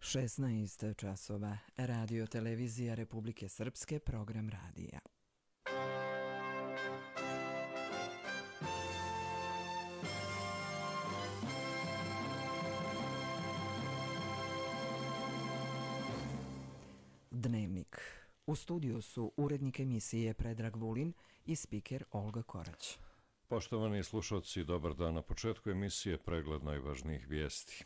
16 časova. Radio televizija Republike Srpske, program radija. Dnevnik. U studiju su urednik emisije Predrag Vulin i spiker Olga Korać. Poštovani slušalci, dobar dan. Na početku emisije pregled najvažnijih vijesti.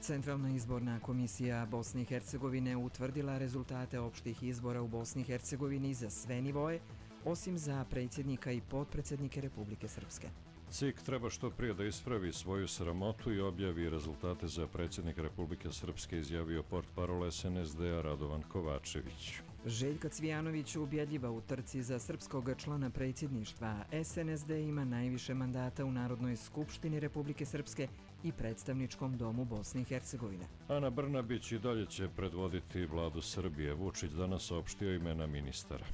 Centralna izborna komisija Bosne i Hercegovine utvrdila rezultate opštih izbora u Bosni i Hercegovini za sve nivoe, osim za predsjednika i potpredsjednike Republike Srpske. CIK treba što prije da ispravi svoju sramotu i objavi rezultate za predsjednika Republike Srpske, izjavio portparol SNSD-a Radovan Kovačević. Željka Cvijanović ubjedljiva u trci za srpskog člana predsjedništva. SNSD ima najviše mandata u Narodnoj skupštini Republike Srpske i predstavničkom domu Bosne i Hercegovine. Ana Brnabić i dalje će predvoditi vladu Srbije. Vučić danas saopštio imena ministara.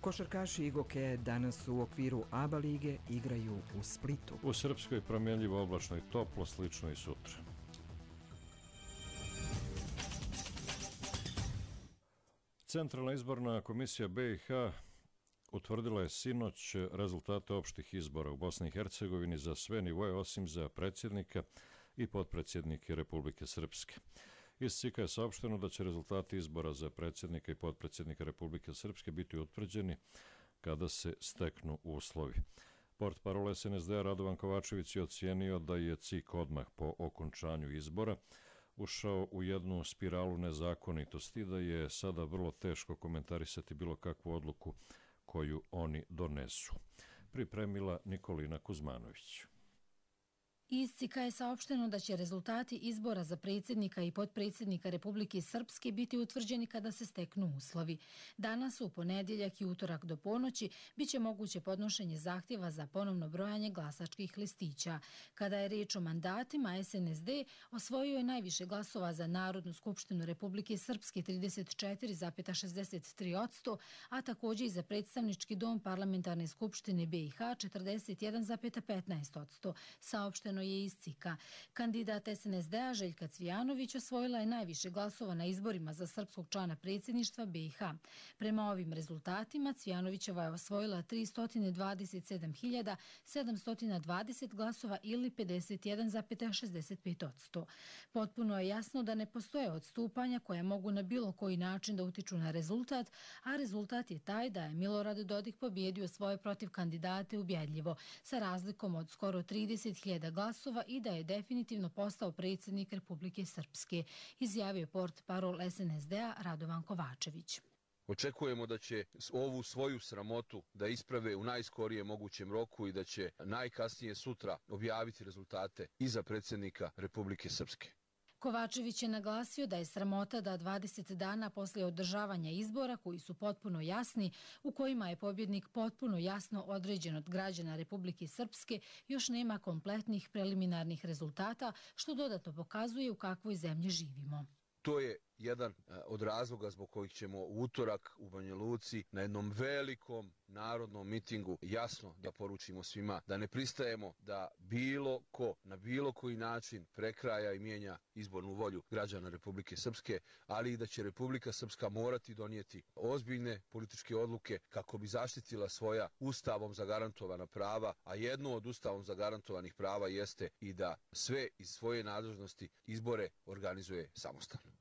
Košarkaši Igoke danas u okviru ABA lige igraju u Splitu. U Srpskoj promjenljivo, oblačno i toplo, slično i sutra. Centralna izborna komisija BiH utvrdila je sinoć rezultate opštih izbora u Bosni i Hercegovini za sve nivoje, osim za predsjednika i potpredsjednike Republike Srpske. Iz CIK-a je saopšteno da će rezultati izbora za predsjednika i potpredsjednika Republike Srpske biti utvrđeni kada se steknu uslovi. Portparol SNSD-a Radovan Kovačević je ocijenio da je CIK odmah po okončanju izbora ušao u jednu spiralu nezakonitosti i da je sada vrlo teško komentarisati bilo kakvu odluku koju oni donesu. Pripremila Nikolina Kuzmanović. Iz CIK-a je saopšteno da će rezultati izbora za predsjednika i potpredsjednika Republike Srpske biti utvrđeni kada se steknu uslovi. Danas, u ponedjeljak i utorak do ponoći, bit će moguće podnošenje zahtjeva za ponovno brojanje glasačkih listića. Kada je riječ o mandatima, SNSD osvojio je najviše glasova za Narodnu skupštinu Republike Srpske 34,63%, a također i za predstavnički dom parlamentarne skupštine BiH 41,15%, saopšteno je iz CIK-a. Kandidat SNSD-a Željka Cvijanović osvojila je najviše glasova na izborima za srpskog člana predsjedništva BiH. Prema ovim rezultatima Cvijanovićeva je osvojila 327.720 glasova ili 51,65%. Potpuno je jasno da ne postoje odstupanja koja mogu na bilo koji način da utiču na rezultat, a rezultat je taj da je Milorad Dodik pobjedio svoje protiv kandidate ubjedljivo, sa razlikom od skoro 30.000 glasova i da je definitivno postao predsjednik Republike Srpske, izjavio portparol SNSD-a Radovan Kovačević. Očekujemo da će ovu svoju sramotu da isprave u najskorijem mogućem roku i da će najkasnije sutra objaviti rezultate i za predsjednika Republike Srpske. Kovačević je naglasio da je sramota da 20 dana poslije održavanja izbora, koji su potpuno jasni, u kojima je pobjednik potpuno jasno određen od građana Republike Srpske, još nema kompletnih preliminarnih rezultata, što dodatno pokazuje u kakvoj zemlji živimo. To je jedan od razloga zbog kojih ćemo u utorak u Banja Luci na jednom velikom narodnom mitingu jasno da poručimo svima da ne pristajemo da bilo ko na bilo koji način prekraja i mijenja izbornu volju građana Republike Srpske, ali i da će Republika Srpska morati donijeti ozbiljne političke odluke kako bi zaštitila svoja ustavom zagarantovana prava, a jedno od ustavom zagarantovanih prava jeste i da sve iz svoje nadležnosti izbore organizuje samostalno.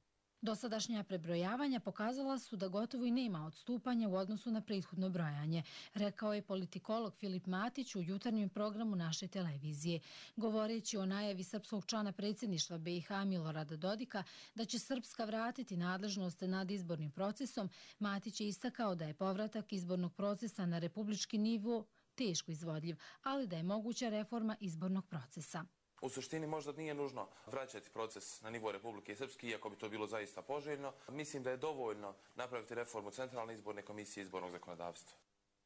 Dosadašnja prebrojavanja pokazala su da gotovo i nema odstupanja u odnosu na prethodno brojanje, rekao je politikolog Filip Matić u jutarnjem programu naše televizije. Govoreći o najavi srpskog člana predsjedništva BiH Milorada Dodika da će Srpska vratiti nadležnost nad izbornim procesom, Matić je istakao da je povratak izbornog procesa na republički nivo teško izvodljiv, ali da je moguća reforma izbornog procesa. U suštini možda nije nužno vraćati proces na nivo Republike Srpske, iako bi to bilo zaista poželjno. Mislim da je dovoljno napraviti reformu Centralne izborne komisije i izbornog zakonodavstva.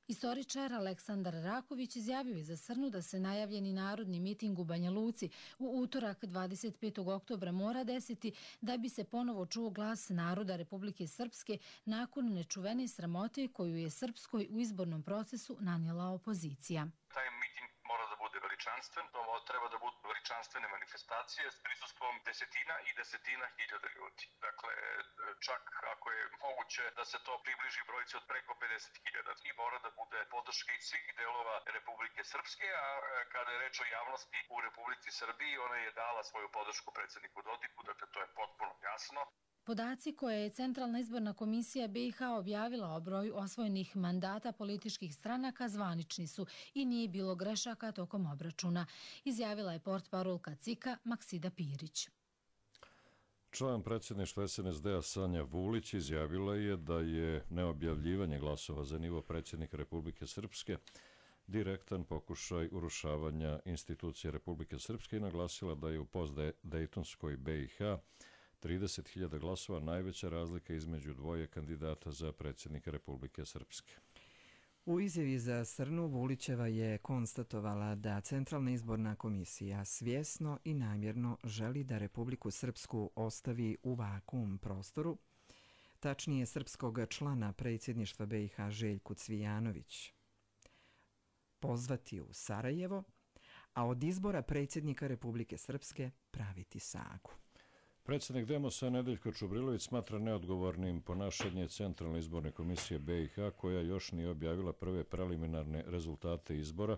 Istoričar Aleksandar Raković izjavio je za Srnu da se najavljeni narodni miting u Banja Luci u utorak 25. oktobra mora desiti da bi se ponovo čuo glas naroda Republike Srpske nakon nečuvene sramote koju je Srpskoj u izbornom procesu nanijela opozicija. Taj miting mora da bude bude veličanstven, to treba da budu veličanstvene manifestacije s prisustvom desetina i desetina hiljada ljudi. Dakle, čak ako je moguće da se to približi brojci od preko 50.000 i mora da bude podrška iz svih delova Republike Srpske, a kada je reč o javnosti u Republici Srbiji, ona je dala svoju podršku predsjedniku Dodiku, dakle to je potpuno jasno. Podaci koje je Centralna izborna komisija BiH objavila o broju osvojenih mandata političkih stranaka zvanični su i nije bilo grešaka tokom obračuna, izjavila je portparolka CIK-a Maksida Pirić. Član predsjedništva SNSD-a Sanja Vulić izjavila je da je neobjavljivanje glasova za nivo predsjednika Republike Srpske direktan pokušaj urušavanja institucije Republike Srpske i naglasila da je u postdejtonskoj BiH 30.000 glasova najveća razlika između dvoje kandidata za predsjednika Republike Srpske. U izjavi za Srnu Vulićeva je konstatovala da Centralna izborna komisija svjesno i namjerno želi da Republiku Srpsku ostavi u vakuum prostoru, tačnije srpskog člana predsjedništva BiH Željku Cvijanović pozvati u Sarajevo, a od izbora predsjednika Republike Srpske praviti sagu. Predsjednik Demosa Nedeljko Čubrilović smatra neodgovornim ponašanje Centralne izborne komisije BiH koja još nije objavila prve preliminarne rezultate izbora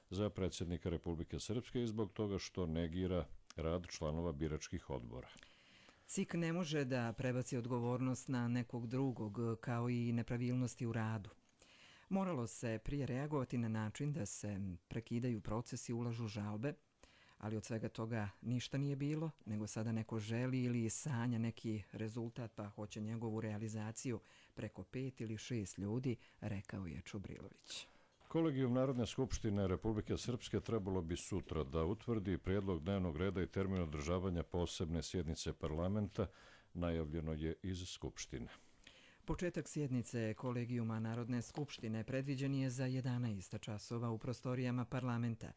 za predsjednika Republike Srpske i zbog toga što negira rad članova biračkih odbora. CIK ne može da prebaci odgovornost na nekog drugog, kao i nepravilnosti u radu. Moralo se prije reagovati na način da se prekidaju procesi i ulažu žalbe, ali od svega toga ništa nije bilo, nego sada neko želi ili sanja neki rezultat pa hoće njegovu realizaciju preko 5 ili 6 ljudi, rekao je Čubrilović. Kolegijum Narodne skupštine Republike Srpske trebalo bi sutra da utvrdi prijedlog dnevnog reda i termin održavanja posebne sjednice parlamenta, najavljeno je iz Skupštine. Početak sjednice Kolegijuma Narodne skupštine predviđen je za 11 časova u prostorijama parlamenta.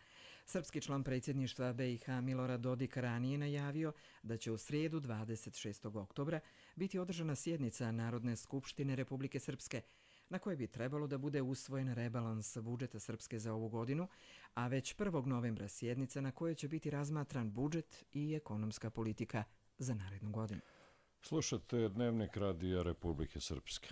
Srpski član predsjedništva BiH Milorad Dodik ranije najavio da će u srijedu 26. oktobra biti održana sjednica Narodne skupštine Republike Srpske, na kojoj bi trebalo da bude usvojen rebalans budžeta Srpske za ovu godinu, a već 1. novembra sjednica na kojoj će biti razmatran budžet i ekonomska politika za narednu godinu. Slušate Dnevnik radija Republike Srpske.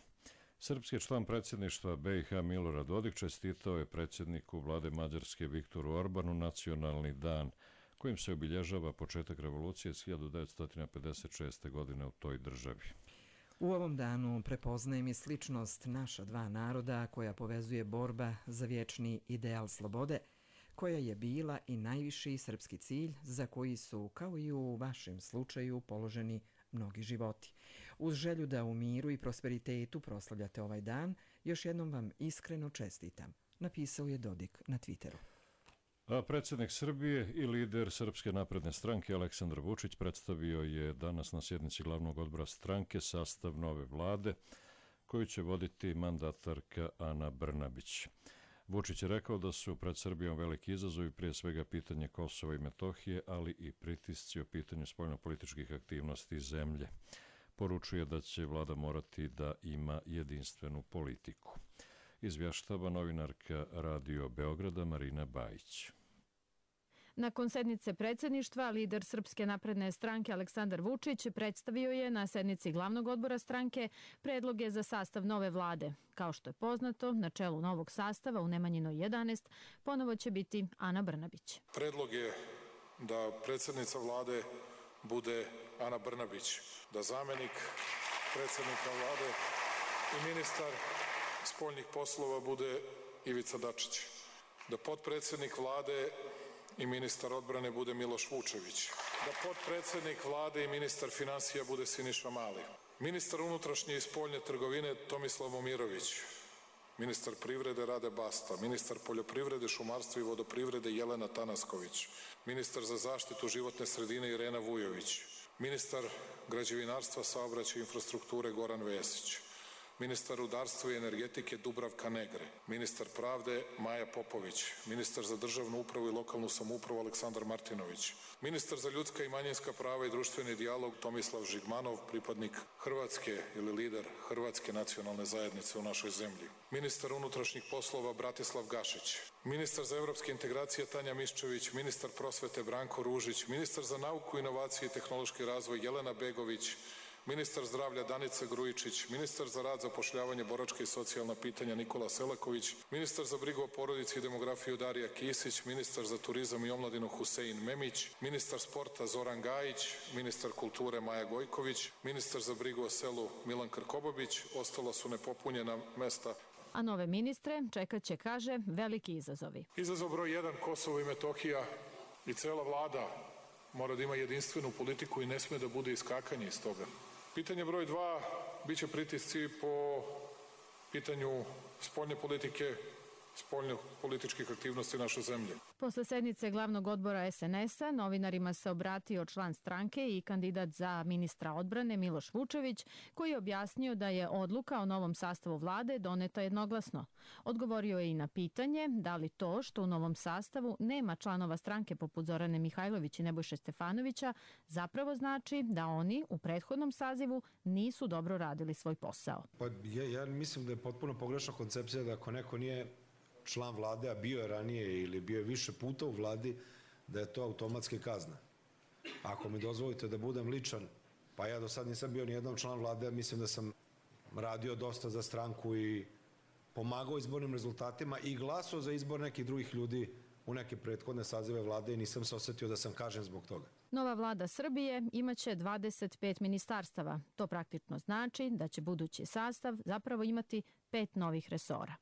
Srpski član predsjedništva BiH Milorad Dodik čestitao je predsjedniku vlade Mađarske Viktoru Orbanu nacionalni dan, kojim se obilježava početak revolucije s 1956. godine u toj državi. U ovom danu prepoznajem i sličnost naša dva naroda koja povezuje borba za vječni ideal slobode, koja je bila i najviši srpski cilj za koji su, kao i u vašem slučaju, položeni mnogi životi. Uz želju da u miru i prosperitetu proslavljate ovaj dan, još jednom vam iskreno čestitam, napisao je Dodik na Twitteru. A predsjednik Srbije i lider Srpske napredne stranke Aleksandar Vučić predstavio je danas na sjednici glavnog odbora stranke sastav nove vlade koju će voditi mandatarka Ana Brnabić. Vučić je rekao da su pred Srbijom veliki izazovi, prije svega pitanje Kosova i Metohije, ali i pritisci o pitanju spoljnopolitičkih aktivnosti zemlje. Poručuje da će vlada morati da ima jedinstvenu politiku. Izvještava novinarka Radio Beograda Marina Bajić. Nakon sednice predsjedništva, lider Srpske napredne stranke Aleksandar Vučić predstavio je na sednici glavnog odbora stranke predloge za sastav nove vlade. Kao što je poznato, na čelu novog sastava u Nemanjinoj 11 ponovo će biti Ana Brnabić. Predlog je da predsjednica vlade bude Ana Brnabić, da zamenik predsjednika vlade i ministar spoljnih poslova bude Ivica Dačić, da potpredsjednik vlade i ministar odbrane bude Miloš Vučević, da potpredsjednik vlade i ministar finansija bude Siniša Mali, ministar unutrašnje i spoljne trgovine Tomislav Momirović, ministar privrede Rade Basta, ministar poljoprivrede, šumarstva i vodoprivrede Jelena Tanasković, ministar za zaštitu životne sredine Irena Vujović, ministar građevinarstva, saobraćaja i infrastrukture Goran Vesić, ministar rudarstva i energetike Dubravka Negre, ministar pravde Maja Popović, ministar za državnu upravu i lokalnu samoupravu Aleksandar Martinović, ministar za ljudska i manjinska prava i društveni dijalog Tomislav Žigmanov, pripadnik Hrvatske ili lider Hrvatske nacionalne zajednice u našoj zemlji, ministar unutrašnjih poslova Bratislav Gašić, ministar za evropske integracije Tanja Miščević, ministar prosvete Branko Ružić, ministar za nauku, inovacije i tehnološki razvoj Jelena Begović, ministar zdravlja Danica Grujičić, ministar za rad, zapošljavanje, boračka i socijalna pitanja Nikola Selaković, ministar za brigu o porodici i demografiju Darija Kisić, ministar za turizam i omladinu Husein Memić, ministar sporta Zoran Gajić, ministar kulture Maja Gojković, ministar za brigu o selu Milan Krkobabić, ostala su nepopunjena mesta. A nove ministre čekat će, kaže, veliki izazovi. Izazov broj 1, Kosovo i Metohija, i cela vlada mora da ima jedinstvenu politiku i ne sme da bude iskakanje iz toga. Pitanje broj 2, bit će pritisci po pitanju spoljne politike, spoljno-političkih aktivnosti naše zemlje. Posle sednice glavnog odbora SNS-a novinarima se obratio član stranke i kandidat za ministra odbrane Miloš Vučević, koji je objasnio da je odluka o novom sastavu vlade doneta jednoglasno. Odgovorio je i na pitanje da li to što u novom sastavu nema članova stranke poput Zorane Mihajlović i Nebojše Stefanovića zapravo znači da oni u prethodnom sazivu nisu dobro radili svoj posao. Pa ja mislim da je potpuno pogrešna koncepcija da ako neko nije član vlade, a bio je ranije ili bio je više puta u vladi, da je to automatski kazna. Ako mi dozvolite da budem ličan, pa ja do sad nisam bio nijednom član vlade, mislim da sam radio dosta za stranku i pomagao izbornim rezultatima i glasao za izbor nekih drugih ljudi u neke prethodne sazive vlade i nisam se osetio da sam kažen zbog toga. Nova vlada Srbije imaće 25 ministarstava. To praktično znači da će budući sastav zapravo imati 5 novih resora.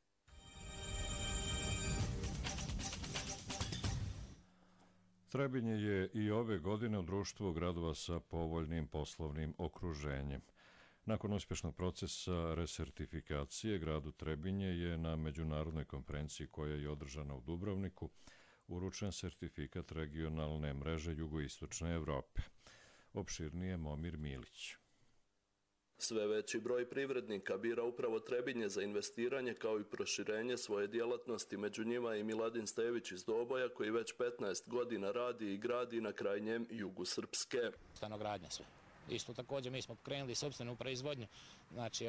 Trebinje je i ove godine u društvu gradova sa povoljnim poslovnim okruženjem. Nakon uspješnog procesa resertifikacije, gradu Trebinje je na međunarodnoj konferenciji koja je održana u Dubrovniku uručen sertifikat regionalne mreže jugoistočne Evrope. Opširnije Momir Milić. Sve veći broj privrednika bira upravo Trebinje za investiranje kao i proširenje svoje djelatnosti. Među njima i Miladin Stević iz Doboja koji već 15 godina radi i gradi na krajnjem jugu Srpske. Stanogradnja sve. Isto također mi smo pokrenuli sopstvenu proizvodnju, znači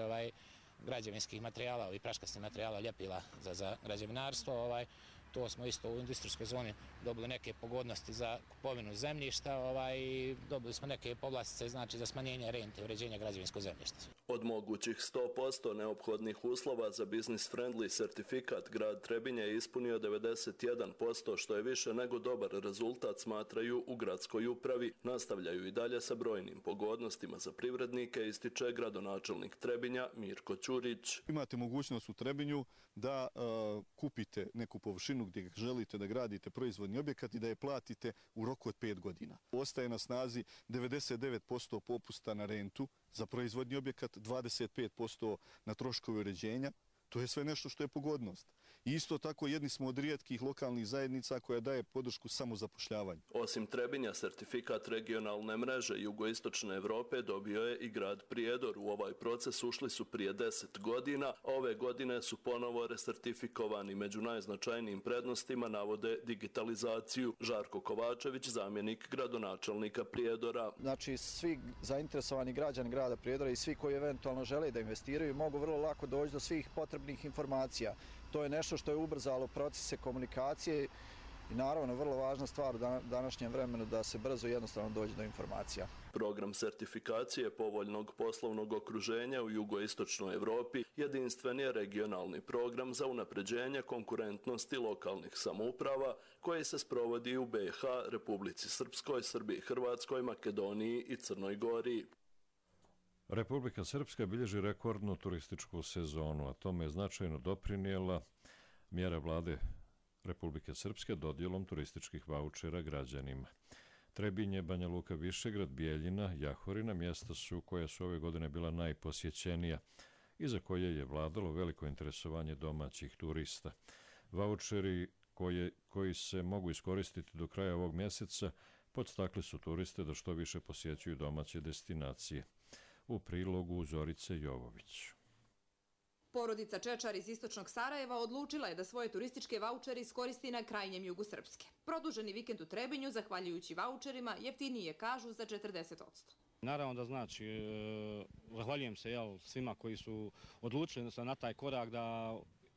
građevinskih materijala i praškastih materijala, ljepila za građevinarstvo. To smo isto u industrijskoj zoni dobili neke pogodnosti za kupovinu zemljišta i dobili smo neke povlastice, znači za smanjenje rente, uređenja građevinskog zemljišta. Od mogućih 100% neophodnih uslova za business friendly sertifikat grad Trebinje je ispunio 91%, što je više nego dobar rezultat, smatraju u gradskoj upravi. Nastavljaju i dalje sa brojnim pogodnostima za privrednike, ističe gradonačelnik Trebinja Mirko Ćurić. Imate mogućnost u Trebinju da kupite neku površinu gdje želite da gradite proizvodni objekat i da je platite u roku od 5 godina. Ostaje na snazi 99% popusta na rentu za proizvodni objekat, 25% na troškove uređenja. To je sve nešto što je pogodnost. I isto tako jedni smo od rijetkih lokalnih zajednica koja daje podršku samozapošljavanju. Osim Trebinja, sertifikat regionalne mreže jugoistočne Evrope dobio je i grad Prijedor. U ovaj proces ušli su prije 10 godina, a ove godine su ponovo resertifikovani. Među najznačajnijim prednostima navode digitalizaciju. Žarko Kovačević, zamjenik gradonačelnika Prijedora. Znači, svi zainteresovani građani grada Prijedora i svi koji eventualno žele da investiraju mogu vrlo lako doći do svih potrebnih informacija. To je nešto što je ubrzalo procese komunikacije i naravno vrlo važna stvar u današnjem vremenu da se brzo i jednostavno dođe do informacija. Program sertifikacije povoljnog poslovnog okruženja u jugoistočnoj Evropi jedinstven je regionalni program za unapređenje konkurentnosti lokalnih samouprava koji se sprovodi u BiH, Republici Srpskoj, Srbiji, Hrvatskoj, Makedoniji i Crnoj Gori. Republika Srpska bilježi rekordnu turističku sezonu, a tome je značajno doprinijela mjera vlade Republike Srpske dodjelom turističkih vaučera građanima. Trebinje, Banja Luka, Višegrad, Bijeljina, Jahorina mjesta su koja su ove godine bila najposjećenija i za koje je vladalo veliko interesovanje domaćih turista. Vaučeri koji se mogu iskoristiti do kraja ovog mjeseca podstakli su turiste da što više posjećuju domaće destinacije. U prilogu Zorice Jovović. Porodica Čečar iz istočnog Sarajeva odlučila je da svoje turističke vaučere iskoristi na krajnjem jugu Srpske. Produženi vikend u Trebinju, zahvaljujući vaučerima, jeftinije kažu za 40%. Naravno da znači, zahvaljujem se svima koji su odlučili na taj korak da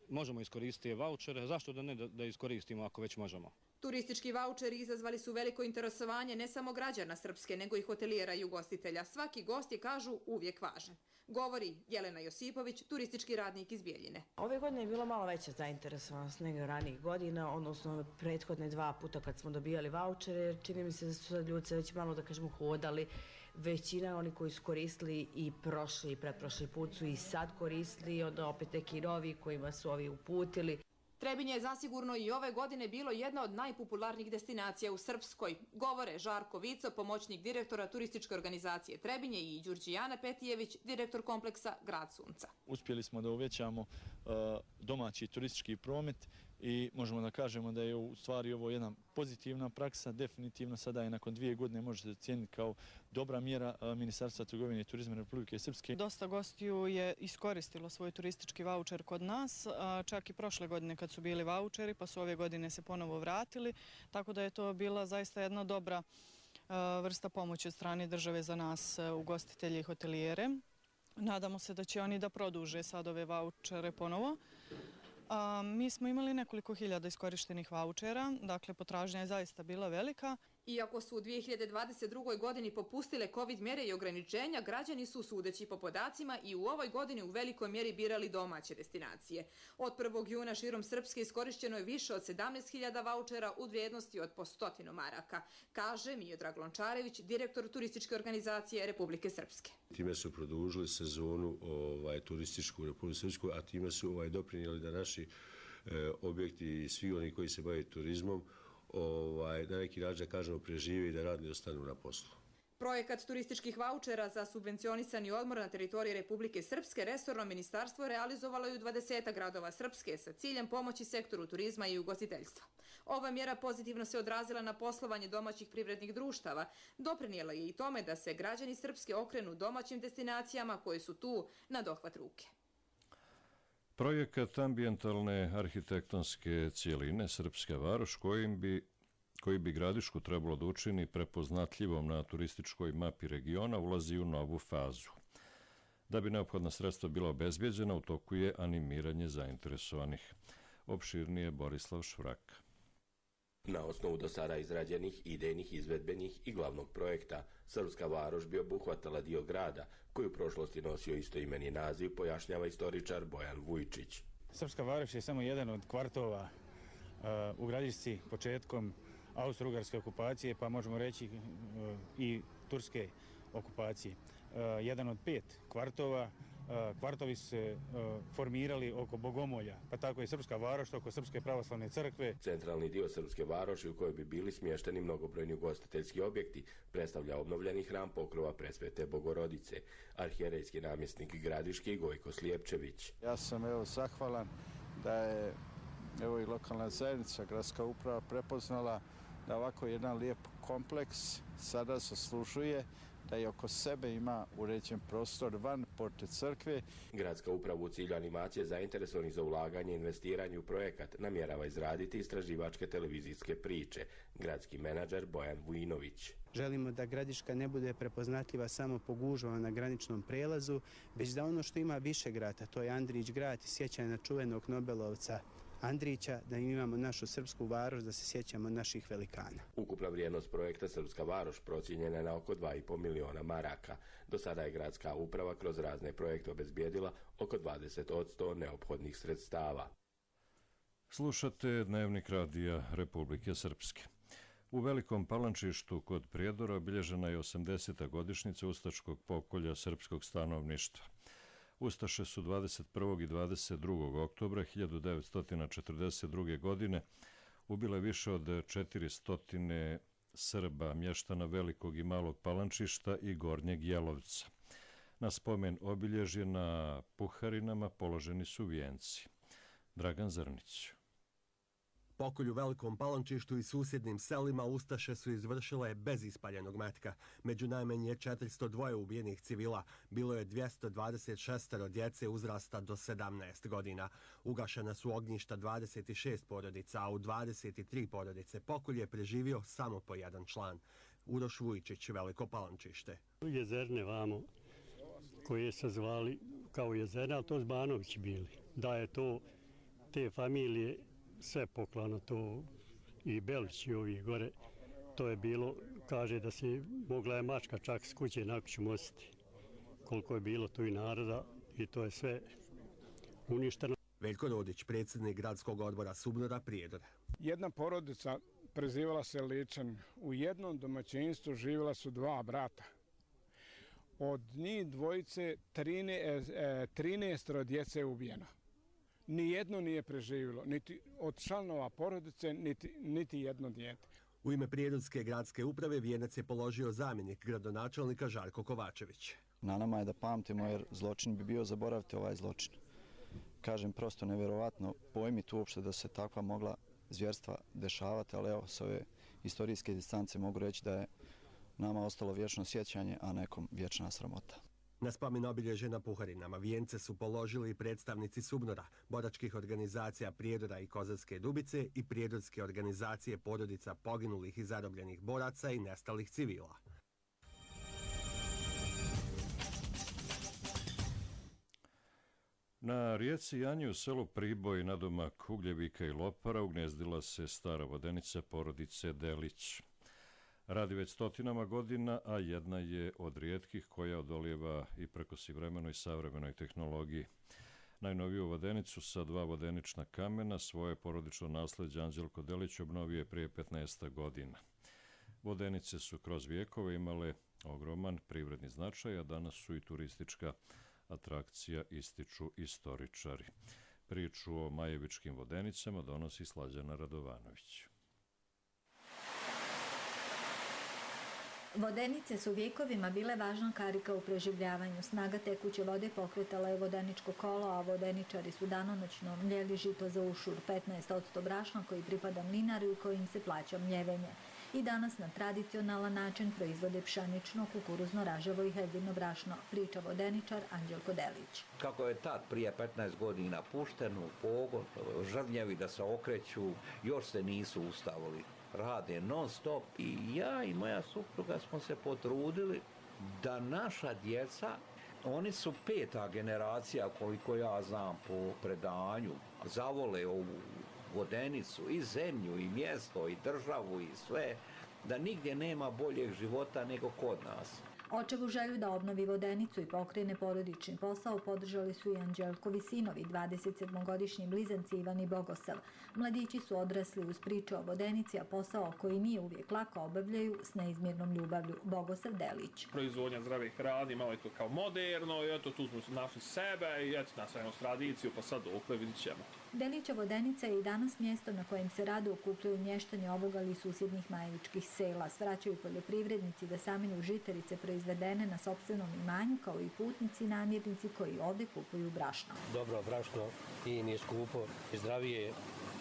možemo iskoristiti vaučere. Zašto da ne da iskoristimo ako već možemo? Turistički vaučeri izazvali su veliko interesovanje ne samo građana Srpske, nego i hotelijera i ugostitelja. Svaki gost je, kažu, uvijek važan. Govori Jelena Josipović, turistički radnik iz Bijeljine. Ove godine je bilo malo veća zainteresovanost nego ranijih godina, odnosno prethodne 2 puta kad smo dobijali vaučere, jer čini mi se da su sad ljudi već malo, da kažemo, hodali. Većina oni koji su koristili i prošli i pretprošli put su i sad koristili, onda opet neki novi kojima su ovi uputili. Trebinje je zasigurno i ove godine bilo jedna od najpopularnijih destinacija u Srpskoj. Govore Žarko Vico, pomoćnik direktora turističke organizacije Trebinje, i Đurđijana Petijević, direktor kompleksa Grad Sunca. Uspjeli smo da uvećamo domaći turistički promet i možemo da kažemo da je u stvari ovo jedna pozitivna praksa. Definitivno sada je nakon 2 godine može se cijeniti kao dobra mjera Ministarstva trgovine i turizma Republike Srpske. Dosta gostiju je iskoristilo svoj turistički vaučer kod nas, čak i prošle godine kad su bili vaučeri, pa su ove godine se ponovo vratili, tako da je to bila zaista jedna dobra vrsta pomoći od strane države za nas, ugostitelje i hotelijere. Nadamo se da će oni da produže sad ove vaučere ponovo. Mi smo imali nekoliko hiljada iskorištenih vaučera, dakle potražnja je zaista bila velika. Iako su u 2022. godini popustile COVID mjere i ograničenja, građani su, sudeći po podacima, i u ovoj godini u velikoj mjeri birali domaće destinacije. Od 1. juna širom Srpske iskorišćeno je više od 17.000 vaučera u vrijednosti od po 100 maraka, kaže Miodrag Lončarević, direktor turističke organizacije Republike Srpske. Time su produžili sezonu turističku u Republike Srpskoj, a time su doprinijeli da naši objekti i svi oni koji se bave turizmom na neki način, da kažemo, prežive i da radni ostanu na poslu. Projekat turističkih vaučera za subvencionisani odmor na teritoriji Republike Srpske resorno ministarstvo realizovalo je u 20 gradova Srpske sa ciljem pomoći sektoru turizma i ugostiteljstva. Ova mjera pozitivno se odrazila na poslovanje domaćih privrednih društava. Doprinijela je i tome da se građani Srpske okrenu domaćim destinacijama koje su tu na dohvat ruke. Projekat ambijentalne arhitektonske cijeline Srpska varoš, koji bi Gradišku trebalo da učini prepoznatljivom na turističkoj mapi regiona, ulazi u novu fazu. Da bi neophodna sredstva bila obezbjeđena, u toku je animiranje zainteresovanih. Opširnije Borislav Švrak. Na osnovu do sada izrađenih idejnih, izvedbenih i glavnog projekta, Srpska varoš bi obuhvatala dio grada, koji u prošlosti nosio istoimeni naziv, pojašnjava istoričar Bojan Vujčić. Srpska varoš je samo jedan od kvartova u Gradišci početkom austro-ugarske okupacije, pa možemo reći i turske okupacije. Jedan od 5 kvartova. Kvartovi su se formirali oko Bogomolja, pa tako je Srpska varoš oko Srpske pravoslavne crkve. Centralni dio Srpske varoši, u kojoj bi bili smješteni mnogobrojni ugostiteljski objekti, predstavlja obnovljeni hram pokrova Presvete Bogorodice, arhijerejski namjesnik Gradiški Gojko Slijepčević. Ja sam zahvalan da je i lokalna zajednica, gradska uprava prepoznala da ovako jedan lijep kompleks sada zaslužuje da je oko sebe ima uređen prostor van porte crkve. Gradska uprava u cilju animacije zainteresovanih za ulaganje i investiranje u projekat namjerava izraditi istraživačke televizijske priče. Gradski menadžer Bojan Vujinović. Želimo da Gradiška ne bude prepoznatljiva samo po gužvama na graničnom prelazu, već da ono što ima više grada, to je Andrić grad, sjećanje na čuvenog Nobelovca Andrića, da imamo našu Srpsku varoš, da se sjećamo naših velikana. Ukupna vrijednost projekta Srpska varoš procijenjena je na oko 2,5 miliona maraka. Do sada je gradska uprava kroz razne projekte obezbijedila oko 20% neophodnih sredstava. Slušate Dnevnik radija Republike Srpske. U Velikom Palančištu kod Prijedora obilježena je 80. godišnjica ustaškog pokolja srpskog stanovništva. Ustaše su 21. i 22. oktobra 1942. godine ubile više od 400 Srba, mještana Velikog i Malog Palančišta i Gornjeg Jelovca. Na spomen obilježje na Puharinama položeni su vijenci. Dragan Zrnić. Pokolj u Velikom Palančištu i susjednim selima ustaše su izvršile bez ispaljenog metka. Među najmanje 402 ubijenih civila bilo je 226 djece uzrasta do 17 godina. Ugašena su ognjišta 26 porodica, a u 23 porodice pokolj je preživio samo po jedan član. Uroš Vujčić, Veliko Palančište. Jezerne vamo, koje se zvali kao jezerne, ali to Zbanovići bili. Da je to te familije sve poklano, to i Belić i ovi gore, to je bilo, kaže da si mogla je mačka čak s kuće na kuću nositi. Koliko je bilo tu i naroda i to je sve uništeno. Veljko Rodić, predsjednik gradskog odbora Subnora, Prijedor. Jedna porodica prezivala se Ličan. U jednom domaćinstvu živjela su dva brata. Od njih dvojice 13 djece je ubijeno. Nijedno nije preživjelo, niti od članova porodice, niti jedno dijete. U ime Prijedorske gradske uprave vijenac je položio zamjenik gradonačelnika Žarko Kovačević. Na nama je da pamtimo jer zločin bi bio zaboraviti ovaj zločin. Kažem, prosto nevjerovatno pojmiti uopšte da se takva mogla zvjerstva dešavati, ali evo, s ove istorijske distance mogu reći da je nama ostalo vječno sjećanje, a nekom vječna sramota. Na spomen obilježje na Puharinama vijence su položili predstavnici Subnora, boračkih organizacija Prijedora i Kozarske Dubice i Prijedorske organizacije porodica poginulih i zarobljenih boraca i nestalih civila. Na rijeci Janji u selu Priboj nadomak Ugljevika i Lopara ugnezdila se stara vodenica porodice Delić. Radi već stotinama godina, a jedna je od rijetkih koja odolijeva i prekosivremenoj savremenoj tehnologiji. Najnoviju vodenicu sa 2 vodenična kamena svoje porodično nasleđe Anđelko Delić obnovio je prije 15 godina. Vodenice su kroz vijekove imale ogroman privredni značaj, a danas su i turistička atrakcija, ističu istoričari. Priču o majevičkim vodenicama donosi Slađana Radovanović. Vodenice su vjekovima bile važna karika u preživljavanju. Snaga tekuće vode pokretala je vodeničko kolo, a vodeničari su danonoćno mljeli žito za ušur, 15% brašna koji pripada mlinaru i kojim se plaća mljevenje. I danas na tradicionalan način proizvode pšenično, kukuruzno, raževo i hezino brašno, priča vodeničar Anđelko Delić. Kako je tad prije 15 godina pušten u pogon, žrnjevi da se okreću, još se nisu ustavili. Rade non stop i ja i moja supruga smo se potrudili da naša djeca, oni su 5. generacija koliko ja znam po predanju, zavole ovu vodenicu i zemlju i mjesto i državu i sve, da nigdje nema boljeg života nego kod nas. Očevu želju da obnovi vodenicu i pokrene porodični posao podržali su i Anđelkovi sinovi, 27-godišnji blizanci Ivan i Bogosav. Mladići su odrasli uz priče o vodenici, a posao koji nije uvijek lako obavljaju s neizmjernom ljubavlju. Bogosav Delić. Proizvodnja zdrave hrane, malo je to kao moderno, i eto tu smo našli sebe i eto nastavljamo s tradiciju, pa sad dokle vidit ćemo. Delića vodenica je i danas mjesto na kojem se rado okupljaju mještani Ovogali i susjednih majevičkih sela. Svraćaju poljoprivrednici da samenju žitarice proizvedene na sopstvenom imanju, kao i putnici i namirnici koji ovdje kupuju brašno. Dobro brašno i nije skupo, zdravije,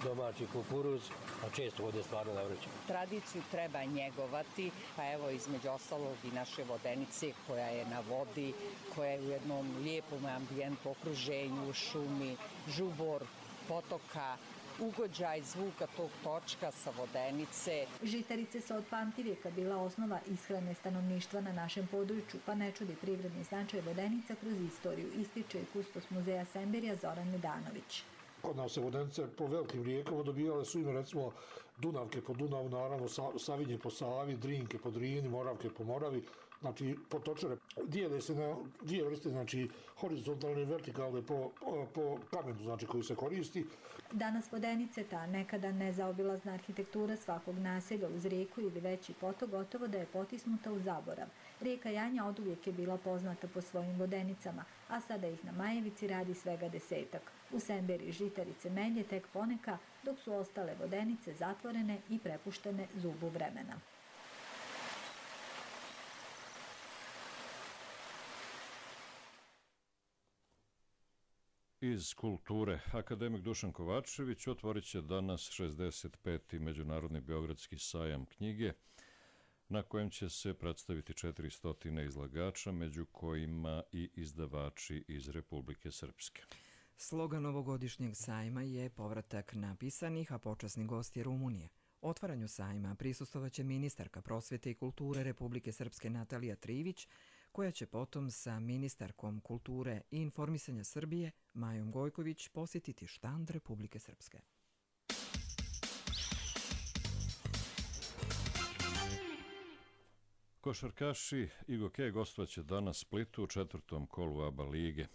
domaći kukuruz, a često ovdje stvarno navrećemo. Tradiciju treba njegovati, pa evo između ostalog i naše vodenice koja je na vodi, koja je u jednom lijepom ambijentu, okruženju, šumi, žubor, potoka, ugođaj zvuka tog točka sa vodenice. Žitarice su od pamtivijeka bila osnova ishrane stanovništva na našem području, pa ne čudi privredni značaj vodenica kroz istoriju, ističe i kustos muzeja Semberija Zoran Medanović. Kod nas se vodenice po velikim rijekama dobijale su ime recimo Dunavke po Dunavu, naravno Savinje po Savi, Drinke po Drini, Moravke po Moravi. Znači, potočare dijele se na dvije vrste, znači horizontalne i vertikalne po kamenu, znači koji se koristi. Danas vodenice, ta nekada nezaobilazna arhitektura svakog naselja uz rijeku ili veći potok, gotovo da je potisnuta u zaborav. Rijeka Janja oduvijek je bila poznata po svojim vodenicama, a sada ih na Majevici radi svega 10-ak. U Semberi žitarice melje tek poneka, dok su ostale vodenice zatvorene i prepuštene zubu vremena. Iz kulture, akademik Dušan Kovačević otvorit će danas 65. Međunarodni Beogradski sajam knjige, na kojem će se predstaviti 400 izlagača, među kojima i izdavači iz Republike Srpske. Slogan ovogodišnjeg sajma je povratak napisanih, a počasni gost je Rumunije. Otvaranju sajma prisustvovaće ministarka prosvete i kulture Republike Srpske Natalija Trivić, koja će potom sa ministarkom kulture i informisanja Srbije Majom Gojković posjetiti štand Republike Srpske. Košarkaši Igoke gostovaće danas Splitu u 4. kolu ABA lige.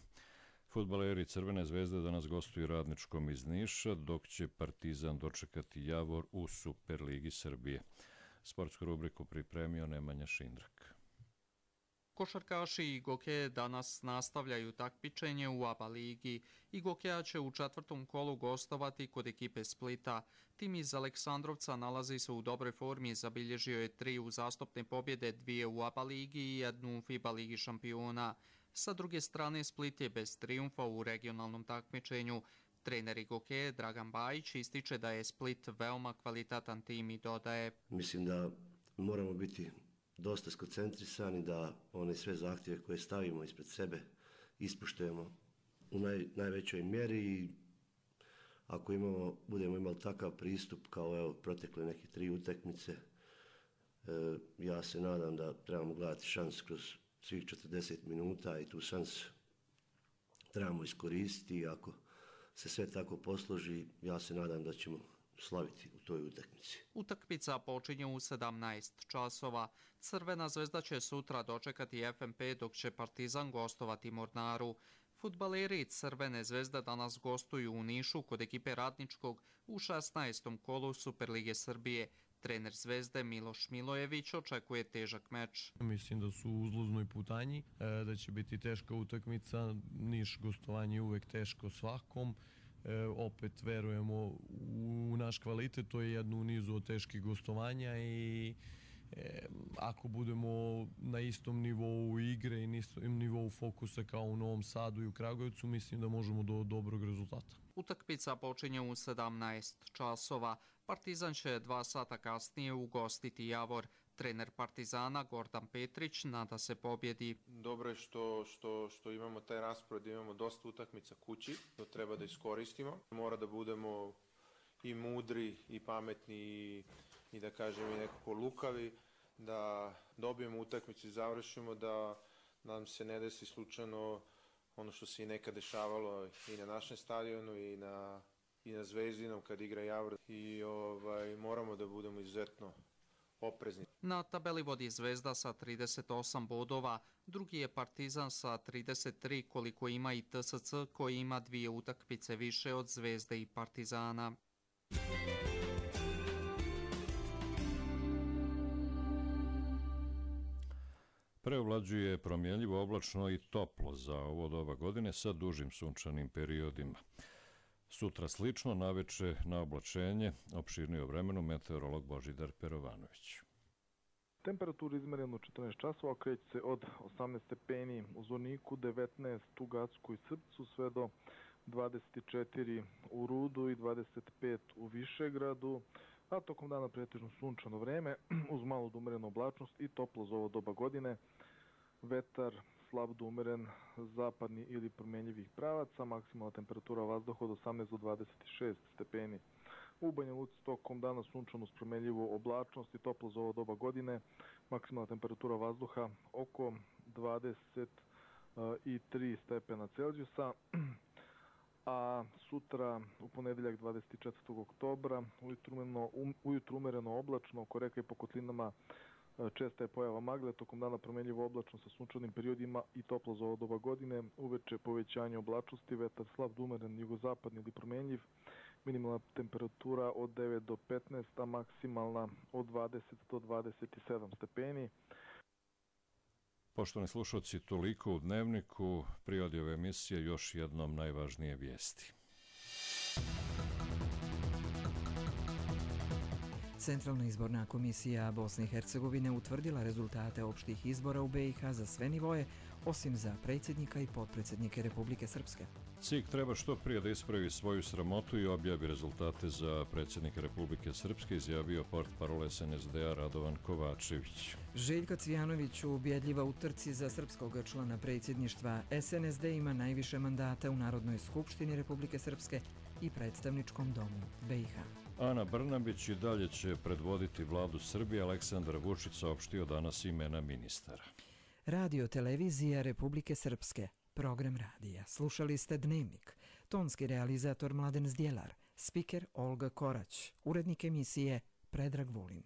Fudbaleri Crvene zvezde danas gostuju Radničkom iz Niša, dok će Partizan dočekati Javor u Superligi Srbije. Sportsku rubriku pripremio Nemanja Šindrak. Košarkaši Igoke danas nastavljaju takmičenje u ABA ligi. Igokeja će u 4. kolu gostovati kod ekipe Splita. Tim iz Aleksandrovca nalazi se u dobroj formi, zabilježio je 3 uzastopne pobjede, 2 u ABA ligi i 1 u FIBA ligi šampiona. Sa druge strane, Split je bez trijumfa u regionalnom takmičenju. Trener Igoke Dragan Bajić ističe da je Split veoma kvalitetan tim i dodaje: Mislim da moramo biti dosta skoncentrisani, da one sve zahtjeve koje stavimo ispred sebe ispoštujemo u najvećoj mjeri i ako budemo imali takav pristup kao protekle neke 3 utakmice, ja se nadam da trebamo gledati šans kroz svih 40 minuta i tu šansu trebamo iskoristiti i ako se sve tako posloži, ja se nadam da ćemo slaviti u toj utakmici. Utakmica počinje u 17 časova. Crvena zvezda će sutra dočekati FNP, dok će Partizan gostovati Mornaru. Fudbaleri Crvene zvezde danas gostuju u Nišu kod ekipe Radničkog u 16. kolu Superlige Srbije. Trener Zvezde Miloš Milojević očekuje težak meč. Mislim da su u uzlaznoj putanji, da će biti teška utakmica. Niš gostovanje je uvek teško svakom. Opet verujemo u naš kvalitet, to je jedno u nizu od teških gostovanja i ako budemo na istom nivou igre i istom nivou fokusa kao u Novom Sadu i u Kragujevcu, mislim da možemo do dobrog rezultata. Utakmica počinje u 17 časova. Partizan će 2 sata kasnije ugostiti Javor. Trener Partizana Gordan Petrić nada se pobjedi. Dobro je što imamo taj raspored, imamo dosta utakmica kući, to treba da iskoristimo. Mora da budemo i mudri i pametni i da kažem i nekako lukavi, da dobijemo utakmicu i završimo, da nam se ne desi slučajno ono što se i nekad dešavalo i na našem stadionu i na Zvezdinom kad igra Javor i moramo da budemo izuzetno oprezni. Na tabeli vodi Zvezda sa 38 bodova, drugi je Partizan sa 33, koliko ima i TSC koji ima 2 utakmice više od Zvezde i Partizana. Preovlađuje promjenljivo, oblačno i toplo za ovo doba godine sa dužim sunčanim periodima. Sutra slično, naveče na oblačenje, opširnije o vremenu, meteorolog Božidar Perovanović. Temperaturu izmereno 14 časova, kreće se od 18 stepeni u Zvorniku, 19 u Gacku i Srpcu, sve do 24 u Rudu i 25 u Višegradu, a tokom dana pretežno sunčano vreme uz malo do umerenu oblačnost i toplo za ovo doba godine. Vetar slab do umeren zapadni ili promenljivih pravaca, maksimalna temperatura vazduha od 18 do 26 stepeni. U Banja Luci tokom dana sunčano uz promenljivu oblačnost i toplo za ovo doba godine, maksimalna temperatura vazduha oko 23 stepena Celzijusa. A sutra u ponedeljak 24. oktobra ujutru umereno oblačno, oko reka i po kotlinama česta je pojava magle, tokom dana promenljivo oblačno sa sunčanim periodima i toplo za ovo doba godine, uveče povećanje oblačnosti, vetar slab do umeren jugozapadni ili promenljiv, minimalna temperatura od 9 do 15, a maksimalna od 20 do 27 stepeni. Poštovani slušalci, toliko u Dnevniku. Pri ove emisije još jednom najvažnije vijesti. Centralna izborna komisija Bosne i Hercegovine utvrdila rezultate opštih izbora u BiH za sve nivoje osim za predsjednika i potpredsjednike Republike Srpske. CIK treba što prije da ispravi svoju sramotu i objavi rezultate za predsjednika Republike Srpske, izjavio portparol SNSD-a Radovan Kovačević. Željko Cvijanović ubjedljiva u trci za srpskog člana predsjedništva. SNSD ima najviše mandata u Narodnoj skupštini Republike Srpske i predstavničkom domu BiH. Ana Brnabić i dalje će predvoditi vladu Srbije. Aleksandar Vučić saopštio danas imena ministara. Radio televizija Republike Srpske. Program radija. Slušali ste Dnevnik. Tonski realizator Mladen Zdjelar. Spiker Olga Korać. Urednik emisije Predrag Vulin.